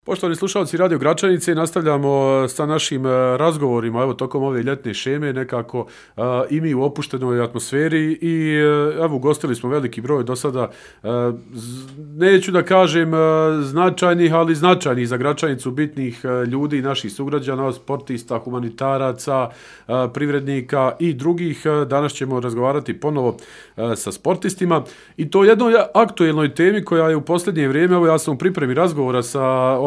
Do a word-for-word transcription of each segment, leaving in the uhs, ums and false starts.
Poštovani slušalci Radio Gračanice, nastavljamo sa našim razgovorima evo tokom ove ljetne šeme, nekako uh, i mi u opuštenoj atmosferi i uh, evo ugostili smo veliki broj do sada, uh, neću da kažem uh, značajnih, ali značajnih za Gračanicu bitnih uh, ljudi, naših sugrađana, sportista, humanitaraca, uh, privrednika i drugih. Uh, danas ćemo razgovarati ponovo uh, sa sportistima i to jednoj aktuelnoj temi koja je u posljednje vrijeme, evo ja sam u pripremi razgovora sa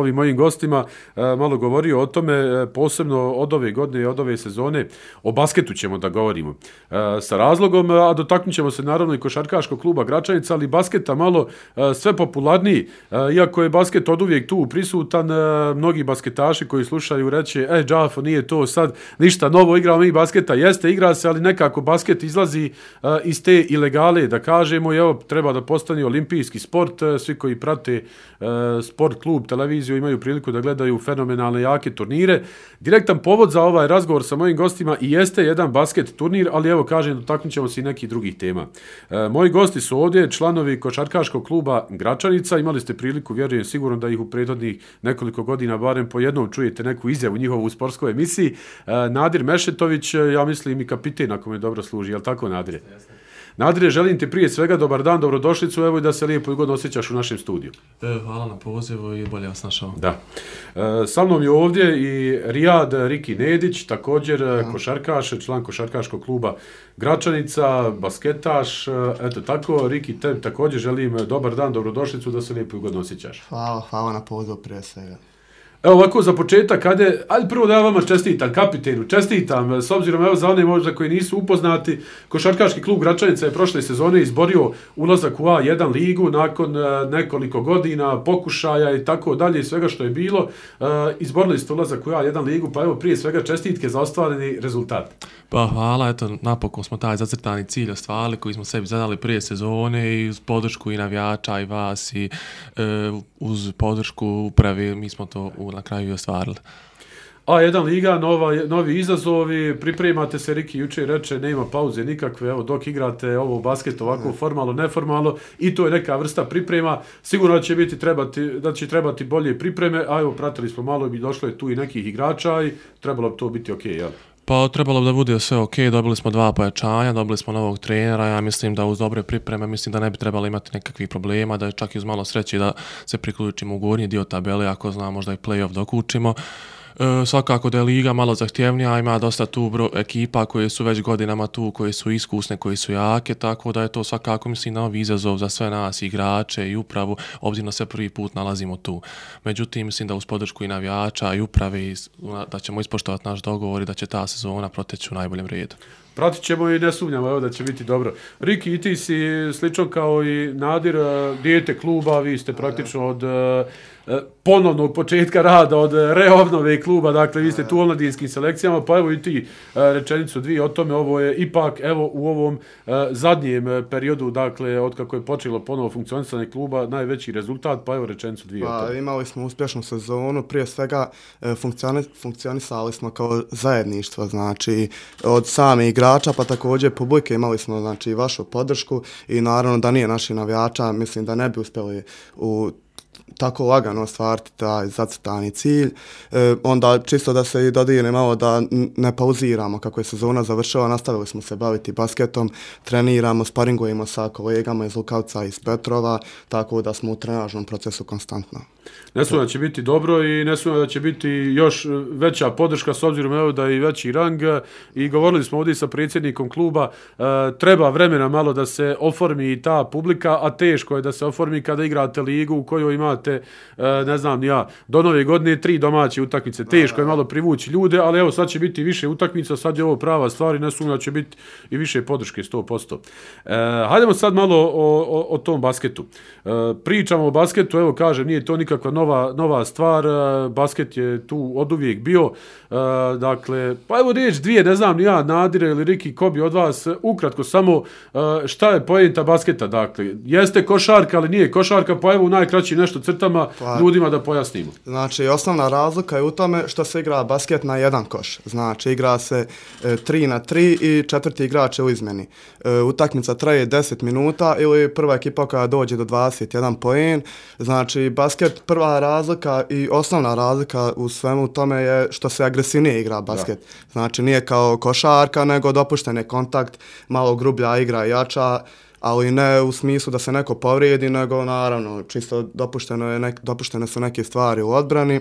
ovim mojim gostima e, malo govorio o tome, e, posebno od ove godine i od ove sezone, o basketu ćemo da govorimo. E, sa razlogom, a dotaknut ćemo se naravno i košarkaškog kluba Gračanica, ali basketa malo e, sve popularniji. E, iako je basket od uvijek tu prisutan, e, mnogi basketaši koji slušaju reće, e, džafo, nije to sad ništa novo, igramo mi basketa, jeste, igra se, ali nekako basket izlazi e, iz te ilegale, da kažemo, i evo, treba da postane olimpijski sport, e, svi koji prate e, sport klub, televiziju, imaju priliku da gledaju fenomenalne jake turnire. Direktan povod za ovaj razgovor sa mojim gostima i jeste jedan basket turnir, ali evo kažem, dotaknut ćemo se i nekih drugih tema. E, moji gosti su ovdje članovi košarkaškog kluba Gračanica. Imali ste priliku, vjerujem sigurno da ih u prethodnih nekoliko godina barem po jednom čujete neku izjavu njihovu u sportskoj emisiji. E, Nadir Mešetović, ja mislim i kapiten ako me dobro služi, je li tako, Nadire? Jeste. Nadire, želim ti prije svega dobar dan, dobrodošlicu, evo i da se lijepo i godno osjećaš u našem studiju. E, hvala na pozivu i bolje vas našao. Da. E, sa mnom je ovdje i Rijad Riki Nedić, također da. košarkaš, član košarkaškog kluba Gračanica, basketaš, eto tako. Riki, te također želim dobar dan, dobrodošlicu, da se lijepo i godno osjećaš. Hvala, hvala na pozivu prije svega. Evo ovako za početak, ajde, ajde prvo da ja vama čestitam, kapitenu, čestitam, s obzirom evo za one možda koji nisu upoznati, košarkaški klub Gračanica je prošle sezone izborio ulazak u A jedan ligu nakon uh, nekoliko godina pokušaja i tako dalje i svega što je bilo, uh, izborili ste ulazak u A jedan ligu, pa evo prije svega čestitke za ostvareni rezultat. Pa hvala, eto, napokon smo taj zacrtani cilj ostvarili koji smo sebi zadali prije sezone i uz podršku i navijača i vas i e, uz podršku uprave mi smo to u, na kraju i ostvarili. A jedan liga, nova, novi izazovi, pripremate se, Riki jučer reče, nema pauze nikakve, evo dok igrate ovo basket ovako formalno, neformalno i to je neka vrsta priprema, sigurno da će biti trebati, da će trebati bolje pripreme, a evo pratili smo malo i došlo je tu i nekih igrača i trebalo bi to biti ok, jel? Pa trebalo bi da bude sve ok, dobili smo dva pojačanja, dobili smo novog trenera, ja mislim da uz dobre pripreme, mislim da ne bi trebalo imati nekakvih problema, da je čak i uz malo sreće da se priključimo u gornji dio tabele, ako zna možda i play-off dokučimo. E, svakako da je liga malo zahtjevnija, ima dosta tu bro, ekipa koje su već godinama tu, koje su iskusne, koje su jake, tako da je to svakako, mislim, novi izazov za sve nas, igrače i upravu, obzirom da se prvi put nalazimo tu. Međutim, mislim da uz podršku i navijača i uprave i da ćemo ispoštovati naš dogovor i da će ta sezona proteći u najboljem redu. Pratit ćemo i ne sumnjamo, evo da će biti dobro. Riki, i ti si slično kao i Nadir, dijete kluba, vi ste praktično od ponovnog početka rada, od reobnove kluba, dakle vi ste tu u omladinskim selekcijama, pa evo i ti rečenicu dvije o tome, ovo je ipak evo u ovom zadnjem periodu, dakle od kako je počelo ponovo funkcionisanje kluba, najveći rezultat, pa evo rečenicu dvije pa, o tome. Imali smo uspješnu sezonu, prije svega funkcioni, funkcionisali smo kao zajedništvo, znači od same igrača, pa također publike imali smo znači vašu podršku i naravno da nije naših navijača, mislim da ne bi uspjeli u tako lagano ostvariti taj zacrtani cilj. E, onda čisto da se i dodijene malo da ne pauziramo kako je sezona završila, nastavili smo se baviti basketom, treniramo, sparingujemo sa kolegama iz Lukavca i iz Petrova, tako da smo u trenažnom procesu konstantno. Ne sumnjam da će biti dobro i ne sumnjam da će biti još veća podrška s obzirom evo da je i veći rang i govorili smo ovdje sa predsjednikom kluba, e, treba vremena malo da se oformi ta publika, a teško je da se oformi kada igrate ligu u kojoj imate, e, ne znam ja, do nove godine tri domaće utakmice, teško je malo privući ljude, ali evo sad će biti više utakmica, sad je ovo prava stvar i ne sumnjam da će biti i više podrške sto posto. E, hajdemo sad malo o, o, o tom basketu. E, pričamo o basketu, evo kažem, nije to nikakva nova, nova stvar, basket je tu oduvijek bio, e, dakle, pa evo riječ dvije, ne znam, ja, Nadire ili Riki, ko bi od vas, ukratko samo, e, šta je poenta basketa, dakle, jeste košarka, ali nije košarka, pa evo u najkraćim nešto crtama Pa, ljudima da pojasnimo. Znači, osnovna razlika je u tome što se igra basket na jedan koš. Znači, igra se e, tri na tri i četvrti igrač je u izmeni. E, utakmica traje deset minuta ili prva ekipa koja dođe do dvadeset jedan poen. Znači, basket, prva razlika i osnovna razlika u svemu tome je što se agresivnije igra basket. Da. Znači, nije kao košarka, nego dopušten je kontakt, malo grublja igra, jača, ali ne u smislu da se neko povrijedi, nego naravno čisto dopušteno je nek, dopuštene su neke stvari u odbrani.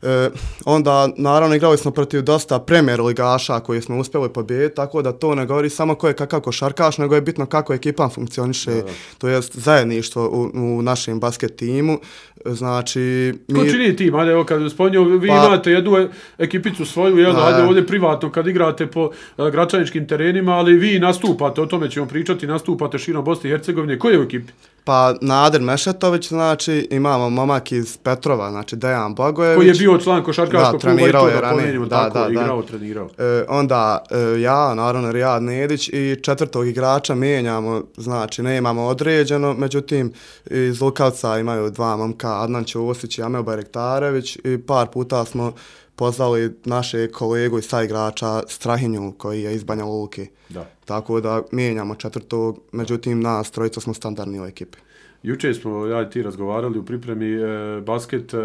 E, onda naravno igrali smo protiv dosta premier ligaša koji smo uspjeli pobijediti, tako da to ne govori samo ko je kakav košarkaš, nego je bitno kako ekipa funkcioniše, da, da. To jest zajedništvo u, u našem basket timu. Znači, mi... Ko čini tim? Ajde, evo kad spominjao, vi pa... imate jednu ekipicu svoju, jel, ajde ovdje privatno kad igrate po uh, gračaničkim terenima, ali vi nastupate, o tome ćemo pričati, nastupate širom Bosne i Hercegovine. Ko je u ekipi? Pa Nader Mešetović, znači imamo momak iz Petrova, znači Dejan Blagojević. Koji je bio član košarkaškog kluba i to je da pomenimo, da, tako, da, igrao, da. trenirao. E, onda e, ja, naravno Rijad Nedić i četvrtog igrača mijenjamo, znači ne imamo određeno, međutim iz Lukavca imaju dva momka, Adnan Ćosić i Amel Bajrektarević i par puta smo pozvali naše kolegu i saigrača Strahinju koji je iz Banja Luke. Da. Tako da mijenjamo četvrtog, međutim nas trojica smo standardni u ekipi. Juče smo ja i ti razgovarali u pripremi e, basket, e,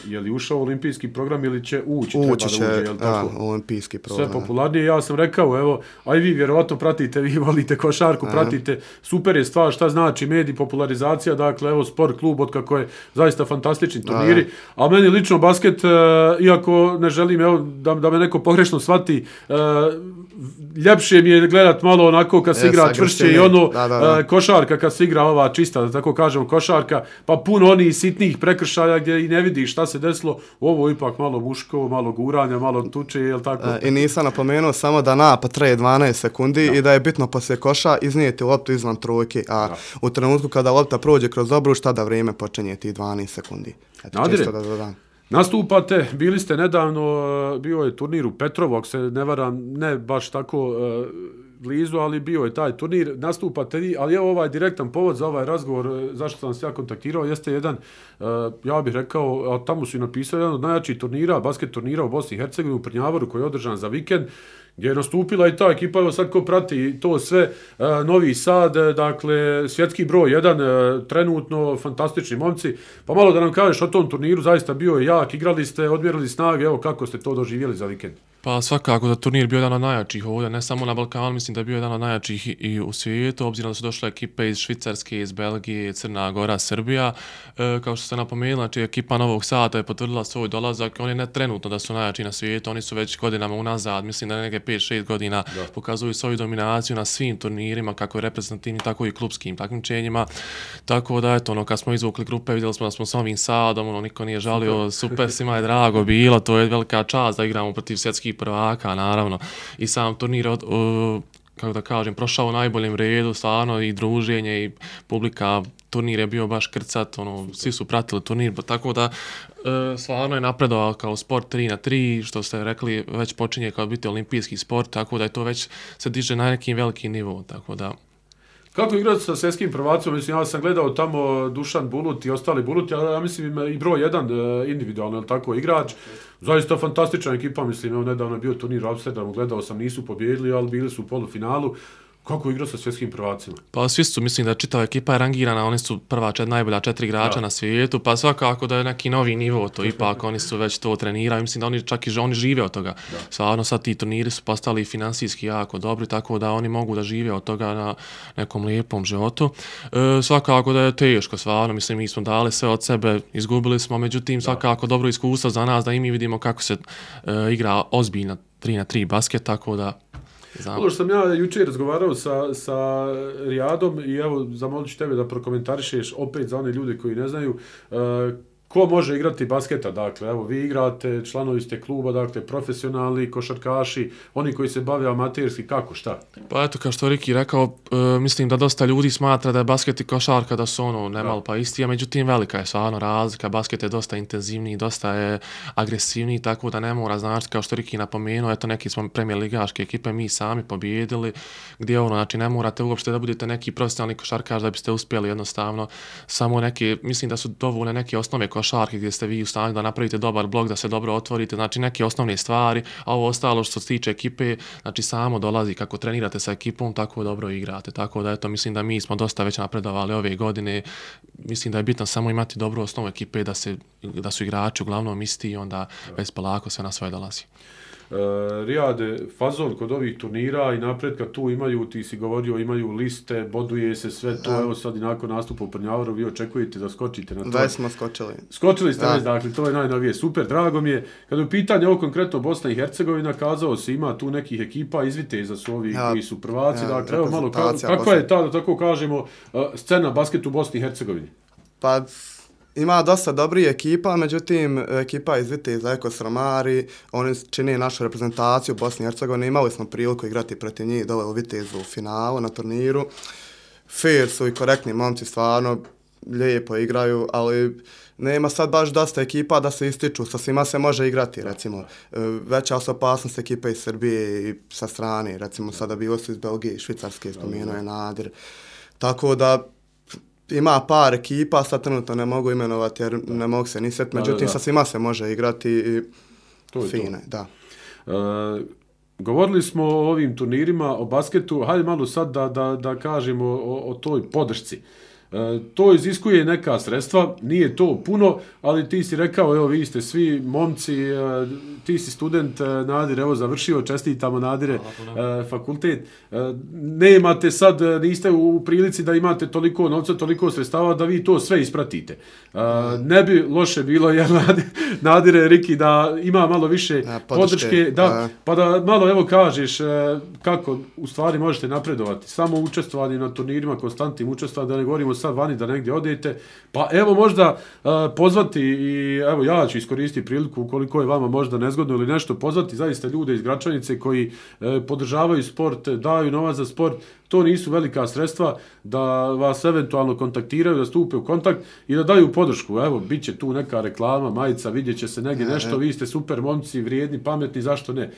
je li ušao u olimpijski program ili će ući? Ući će, da uđe, jel tako? Da, olimpijski program. Sve popularnije, ja sam rekao, evo, aj vi vjerovatno pratite, vi volite košarku, pratite, super je stvar, šta znači medij, popularizacija, dakle, evo, sport klub, od kako je zaista fantastični turniri, a meni lično basket, e, iako ne želim, evo, da, da me neko pogrešno shvati, e, ljepše mi je gledat malo onako kad se igra čvršće i ono, da, da, da. E, košarka kad se igra ova čista, da tako kažemo košarka, pa puno onih sitnih prekršaja gdje i ne vidiš šta se desilo, ovo ipak malo muško, malo guranja, malo tuče, jel tako? E, I nisam napomenuo samo da napad traje dvanaest sekundi da. I da je bitno poslije koša iznijeti loptu izvan trojke, a da. U trenutku kada lopta prođe kroz obruč, tada vrijeme počinje ti dvanaest sekundi. Eto, Nadire, čisto da dodam. Nastupate, bili ste nedavno, bio je turnir u Petrovu, ako se ne varam, ne baš tako uh, blizu, ali bio je taj turnir, nastupate vi, ali evo ovaj direktan povod za ovaj razgovor, zašto sam se ja kontaktirao, jeste jedan, uh, ja bih rekao, a tamo su i napisali, jedan od najjačih turnira, basket turnira u Bosni i Hercegovini, u Prnjavoru, koji je održan za vikend, gdje je nastupila i ta ekipa, evo sad ko prati to sve, uh, Novi Sad, dakle, svjetski broj jedan, uh, trenutno, fantastični momci, pa malo da nam kažeš o tom turniru, zaista bio je jak, igrali ste, odmjerili snage, evo kako ste to doživjeli za vikend? Pa svakako da turnir bio jedan od najjačih ovdje, ne samo na Balkanu, mislim da je bio jedan od najjačih i u svijetu, obzirom da su došle ekipe iz Švicarske, iz Belgije, Crna Gora, Srbija. E, kao što ste napomenuli, znači ekipa Novog Sada je potvrdila svoj dolazak, oni ne trenutno da su najjači na svijetu, oni su već godinama unazad, mislim da neke pet šest godina da. Pokazuju svoju dominaciju na svim turnirima, kako i reprezentativnim, tako i klubskim takmičenjima. Tako da, eto, ono, kad smo izvukli grupe, vidjeli smo da smo s Novim Sadom, ono, niko nije žalio, super, svima je drago bilo, to je velika čast da igramo protiv svjetskih prvaka, naravno, i sam turnir od, uh, kako da kažem, prošao u najboljem redu, stvarno i druženje i publika, turnir je bio baš krcat, ono, svi su pratili turnir, tako da uh, stvarno je napredovao kao sport tri na tri, što ste rekli, već počinje kao biti olimpijski sport, tako da je to već se diže na nekim velikim nivou, tako da... Kako igrati sa svjetskim prvacom? Mislim, ja sam gledao tamo Dušan Bulut i ostali Buluti, ali ja mislim i broj jedan individualno, ali tako, igrač. Zaista fantastična ekipa, mislim, evo nedavno je bio turnir u Amsterdamu, gledao sam, nisu pobjedili, ali bili su u polufinalu. Kako igra sa svjetskim prvacima? Pa svi su, mislim da čitava ekipa je rangirana, oni su prva čet, najbolja četiri igrača da. Na svijetu, pa svakako da je neki novi nivo to, ipak oni su već to trenirali, mislim da oni čak i oni žive od toga. Da. Stvarno sad ti turniri su postali finansijski jako dobri, tako da oni mogu da žive od toga na nekom lijepom životu. E, svakako da je teško, stvarno, mislim mi smo dali sve od sebe, izgubili smo, međutim svakako dobro iskustvo za nas da i mi vidimo kako se e, igra ozbiljna tri na tri basket, tako da Ono što sam ja jučer razgovarao sa, sa Rijadom i evo zamolit ću tebe da prokomentarišeš opet za one ljude koji ne znaju uh, ko može igrati basketa, dakle, evo, vi igrate, članovi ste kluba, dakle, profesionalni košarkaši, oni koji se bave amaterski, kako, šta? Pa eto, kao što Riki rekao, e, mislim da dosta ljudi smatra da je basket i košarka da su ono nemal pa isti, a međutim velika je stvarno razlika, basket je dosta intenzivniji, dosta je agresivniji, tako da ne mora znači, kao što Riki napomenuo, eto neki smo premijer ligaške ekipe, mi sami pobjedili, gdje ono, znači ne morate uopšte da budete neki profesionalni košarkaš da biste uspjeli jednostavno, samo neke, mislim da su dovoljne neke osnove košarke gdje ste vi u stanju da napravite dobar blok, da se dobro otvorite, znači neke osnovne stvari, a ovo ostalo što se tiče ekipe, znači samo dolazi kako trenirate sa ekipom, tako dobro igrate, tako da eto, mislim da mi smo dosta već napredovali ove godine, mislim da je bitno samo imati dobru osnovu ekipe, da, se, da su igrači uglavnom isti i onda već polako sve na svoje dolazi. Uh, Rijade, fazon kod ovih turnira i napretka tu imaju, ti si govorio, imaju liste, boduje se sve to, evo sad i nakon nastupa u Prnjavaru, vi očekujete da skočite na to. Već smo skočili. Skočili ste već, dakle, to je najnovije, super, drago mi je. Kada je u pitanju ovo konkretno Bosna i Hercegovina, kazao se ima tu nekih ekipa iz Viteza su ovi ja, koji su prvaci, ja, dakle, evo malo, ka, kakva je ta, da tako kažemo, uh, scena basketu u Bosni i Hercegovini? Pa, ima dosta dobrih ekipa, međutim, ekipa iz Viteza, Eko Sramari, oni čine našu reprezentaciju u Bosni i Hercegovini, imali smo priliku igrati protiv njih dole u Vitezu u finalu na turniru. Fair su i korektni momci, stvarno lijepo igraju, ali nema sad baš dosta ekipa da se ističu, sa svima se može igrati, recimo. Veća su opasnost ekipe iz Srbije i sa strane, recimo sada bilo su iz Belgije i Švicarske, spomenuo je Nadir. Tako da, ima par ekipa, sad trenutno ne mogu imenovati jer ne mogu se ni sjetiti, međutim da, da, da. sa svima se može igrati i to fine, to. Da. E, govorili smo o ovim turnirima, o basketu, hajde malo sad da, da, da kažemo o, o toj podršci. E, to iziskuje neka sredstva, nije to puno, ali ti si rekao, evo vi ste svi momci, e, ti si student, e, Nadir, evo završio, čestitamo Nadire, e, fakultet. E, nemate sad, niste u prilici da imate toliko novca, toliko sredstava da vi to sve ispratite. E, ne bi loše bilo, jer Nadire, Riki, da ima malo više ja, podrške, podrške da, a... pa da malo evo kažeš e, kako u stvari možete napredovati. Samo učestvovanje na turnirima, konstantnim učestvovanjem, da ne govorimo sad vani da negdje odete, pa evo možda uh, pozvati i evo ja ću iskoristiti priliku ukoliko je vama možda nezgodno ili nešto, pozvati zaista ljude iz Gračanice koji uh, podržavaju sport, daju novac za sport, to nisu velika sredstva, da vas eventualno kontaktiraju, da stupe u kontakt i da daju podršku. Evo, bit će tu neka reklama, majica, vidjet će se negdje nešto, vi ste super momci, vrijedni, pametni, zašto ne?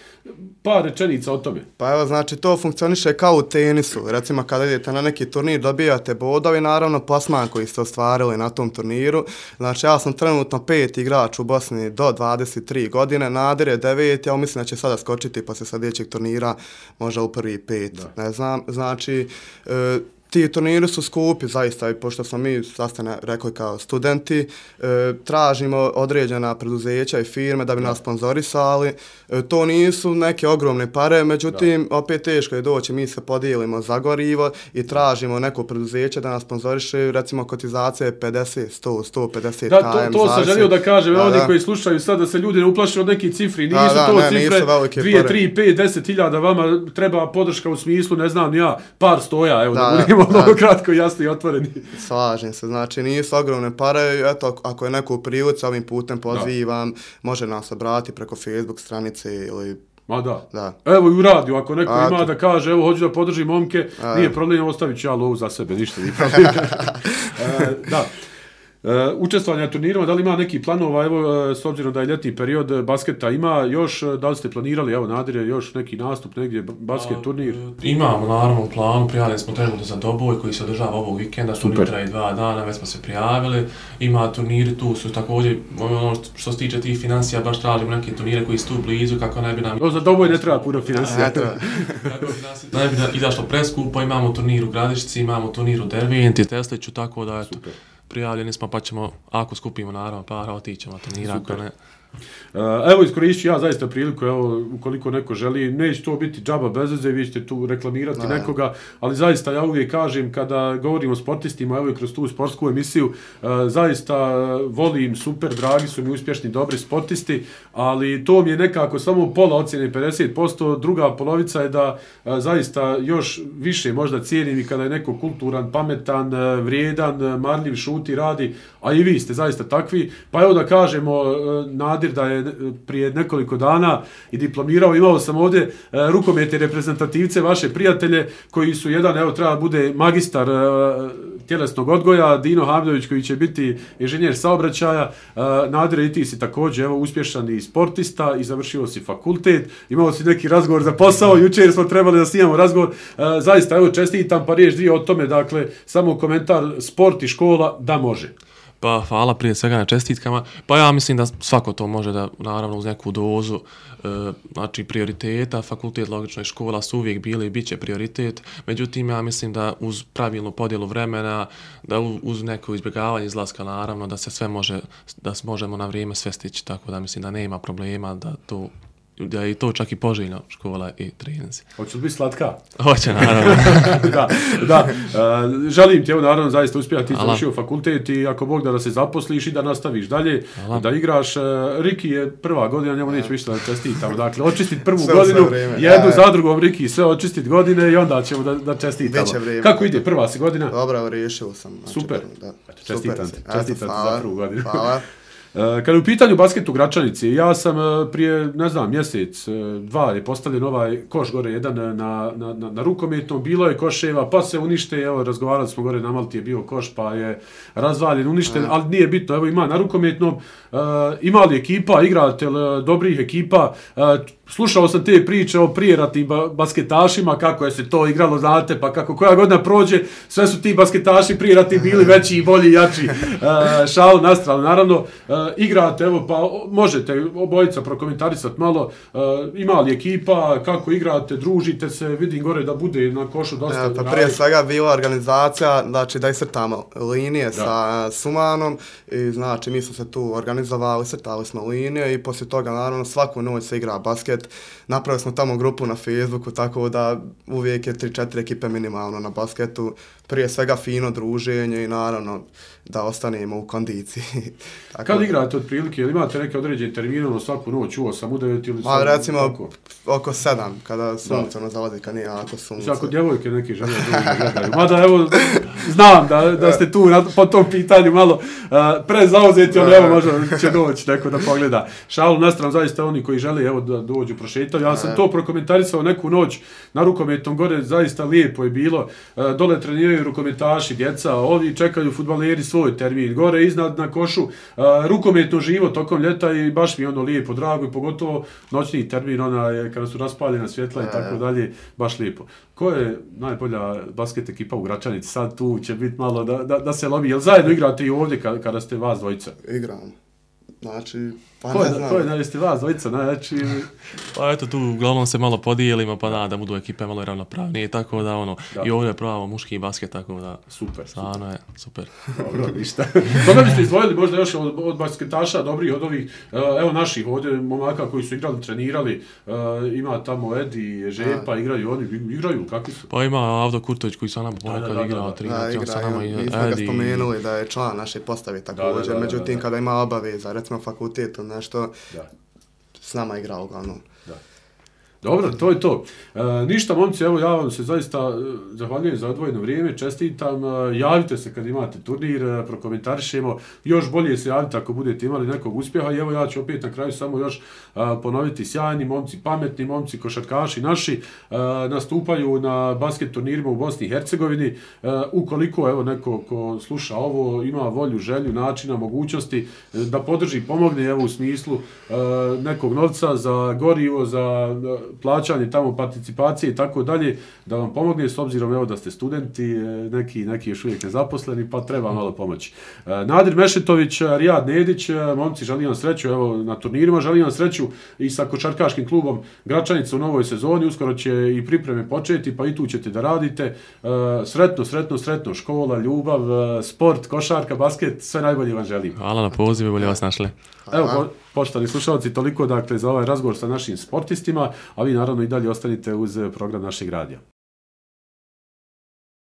Par rečenica o tome. Pa evo, znači, to funkcioniše kao u tenisu. Recimo, kada idete na neki turnir, dobijate bodovi, naravno, plasman koji ste ostvarili na tom turniru. Znači, ja sam trenutno pet igrač u Bosni do dvadeset tri godine, Nadir je devet, ja mislim da će sada skočiti posle sljedećeg turnira, možda u prvi pet, da. Ne znam, znači, Znači, e, ti turniri su skupi, zaista, i pošto smo mi sastane rekli kao studenti, e, tražimo određena preduzeća i firme da bi nas sponzorisali. E, to nisu neke ogromne pare, međutim, da. Opet teško je doći, mi se podijelimo za gorivo i tražimo neko preduzeće da nas sponzoriše, recimo kotizacija je pedeset, sto, sto pedeset da, to, to sam želio da kažem, da, oni da. Koji slušaju sad da se ljudi ne uplaše od nekih cifri, nisu da, da, to ne, cifre dvije, tri, pet, deset hiljada, vama treba podrška u smislu, ne znam ja, par stoja, evo da, da budemo mnogo kratko, jasno i otvoreni. Slažem se, znači nisu ogromne pare, eto, ako je neko u prilici, ovim putem pozivam, da. Može nas obratiti preko Facebook stranice ili... Ma da. Da. Evo i u radiju, ako neko a, ima to. Da kaže, evo, hoću da podržim momke, a, nije problem, ostavit ću ja lovu za sebe, ništa nije problem. e, da. Uh, učestvovanje na turnirima, da li ima neki planova, evo, s obzirom da je ljetni period basketa ima, još, da li ste planirali, evo, Nadire, još neki nastup negdje, basket, A, turnir? Imamo, naravno, u planu, prijavili smo trenutno za Doboj koji se održava ovog vikenda, turnir traje dva dana, već smo se prijavili, ima turniri, tu su također, ono što se tiče tih financija, baš tražimo neke turnire koji su tu blizu, kako ne bi nam... No, za Doboj ne treba puno financija. Da ne bi izašlo preskupo, imamo turnir u Gradišci, imamo turnir u Derventi, Tesliću, tako da, eto. Super. Prijavljeni smo, pa ćemo, ako skupimo naravno para, otićemo turnira, ako ne. Evo, iskoristit ću ja zaista priliku, evo, ukoliko neko želi, neće to biti džaba bez veze, vi ćete tu reklamirati no, nekoga, ali zaista ja uvijek kažem, kada govorim o sportistima, evo i kroz tu sportsku emisiju, zaista volim, super, dragi su mi uspješni, dobri sportisti, ali to mi je nekako samo pola ocjene, pedeset posto, druga polovica je da zaista još više možda cijenim i kada je neko kulturan, pametan, vrijedan, marljiv, šuti, radi, a i vi ste zaista takvi, pa evo da kažemo, Nadir da je prije nekoliko dana i diplomirao, imao sam ovdje e, rukometne reprezentativce, vaše prijatelje, koji su jedan, evo treba bude magistar e, tjelesnog odgoja, Dino Hamdović koji će biti inženjer saobraćaja, e, Nadir i ti si također evo uspješan i sportista i završio si fakultet, imao si neki razgovor za posao, jučer smo trebali da snimamo razgovor, e, zaista evo čestitam pa riječ dvije o tome, dakle samo komentar sport i škola da može. Pa hvala prije svega na čestitkama. Pa ja mislim da svako to može da, naravno uz neku dozu, e, znači prioriteta, fakultet, logično i škola su uvijek bili i bit će prioritet. Međutim, ja mislim da uz pravilnu podjelu vremena, da uz neko izbjegavanje izlaska, naravno, da se sve može, da možemo na vrijeme sve stići, tako da mislim da nema problema da to da je to čak i poželjno škola i treninzi. Hoće li biti slatka? Hoće, naravno. da, da. Uh, želim ti, evo naravno, zaista uspjeti, ti završio fakultet i ako Bog da, da se zaposliš i da nastaviš dalje, Hvala. Da igraš. Uh, Riki je prva godina, njemu neće više da čestitamo. Dakle, očistiti prvu sve godinu, jednu za drugom Riki, sve očistiti godine i onda ćemo da, da čestitamo. Kako ide prva si godina? Dobro, riješio sam. Znači, super. Da. Čestitam ti, čestitam ti za prvu godinu. Hvala. Kada je u pitanju basket u Gračanici, ja sam prije, ne znam, mjesec, dva je postavljen ovaj koš gore jedan na, na, na, na rukometnom, bilo je koševa, pa se unište, evo, razgovarali smo gore na Malti je bio koš, pa je razvaljen, uništen, ali nije bitno, evo ima na rukometnom, uh, ima li ekipa, igratelj dobrih ekipa, uh, slušao sam te priče o prijeratnim ba- basketašima, kako je se to igralo, znate, pa kako koja godina prođe, sve su ti basketaši prijeratni bili veći i bolji, jači, uh, šalu na stranu, naravno, uh, igrate, evo, pa možete obojica prokomentarisati malo, uh, ima li ekipa, kako igrate, družite se, vidim gore da bude na košu dosta. Ja, pa prije svega bila organizacija, znači da iscrtamo linije da. Sa Sumanom i znači mi smo se tu organizovali, crtali smo linije i poslije toga naravno svaku noć se igra basket. Napravili smo tamo grupu na Facebooku, tako da uvijek je tri četiri ekipe minimalno na basketu. Prije svega fino druženje i naravno da ostanemo u kondiciji. Tako kad igrate otprilike, ili imate neke određene termine, ono svaku noć u osam, u devet ili Ma, recimo oko, oko sedam, kada sunce ono zalazi, kad nije jako sunce. Ako djevojke neki žele da gledaju. Mada evo, znam da, da ste tu na, po tom pitanju malo uh, prezauzeti, ono evo možda će doći neko da pogleda. Šalu na stranu, zaista oni koji žele evo da dođu prošetaju. Ja sam to prokomentarisao neku noć na rukometnom gore, zaista lijepo je bilo. Uh, dole treniraju rukometaši, djeca, ovi čekaju fudbaleri svoj termin. Gore iznad na košu, uh, rukometno živo tokom ljeta i baš mi ono lijepo, drago i pogotovo noćni termin, ona je kada su raspaljena svjetla i tako dalje, baš lijepo. Ko je najbolja basket ekipa u Gračanici? Sad tu će biti malo da, da, da se lobi. Jel zajedno igrate i ovdje kada, kada ste vas dvojica? Igram. Znači, pa ko ne je, znam. Ko je najvesti vas dvojica? Znači... Pa eto tu uglavnom se malo podijelimo, pa da, da budu ekipe malo ravnopravnije, tako da ono, da. I ovdje je pravo muški basket, tako da... Super, stvarno super. je, super. Dobro, ništa. Koga biste izdvojili možda još od, od basketaša, dobrih od ovih, evo naših ovdje momaka koji su igrali, trenirali, ima tamo Edi, Žepa, da. igraju oni, igraju, kakvi su? Pa ima Avdo Kurtović koji sa nama ponekad igrao, trenirao sa nama i Edi. Mi smo ga spomenuli da je član naše postave također, međutim da, da, da. kada ima obaveza, recimo fakultetu, nešto, da. S nama igrao uglavnom. Da. Dobro, to je to. E, ništa, momci, evo ja vam se zaista zahvaljujem za odvojeno vrijeme, čestitam, e, javite se kad imate turnir, e, prokomentarišemo, još bolje se javite ako budete imali nekog uspjeha i evo ja ću opet na kraju samo još e, ponoviti, sjajni momci, pametni momci, košarkaši naši, e, nastupaju na basket turnirima u Bosni i Hercegovini, e, ukoliko evo neko ko sluša ovo, ima volju, želju, načina, mogućnosti, e, da podrži, pomogne evo u smislu e, nekog novca za gorivo, za plaćanje tamo participacije i tako dalje, da vam pomogne s obzirom evo da ste studenti, neki, neki još uvijek nezaposleni, pa treba malo pomoći. Nadir Mešetović, Rijad Nedić, momci, želim vam sreću evo na turnirima, želim vam sreću i sa košarkaškim klubom Gračanica u novoj sezoni, uskoro će i pripreme početi, pa i tu ćete da radite. Sretno, sretno, sretno, škola, ljubav, sport, košarka, basket, sve najbolje vam želim. Hvala na pozivu, bolje vas našli. Evo, Poštovani slušalci, toliko dakle za ovaj razgovor sa našim sportistima, a vi naravno i dalje ostanite uz program našeg radija.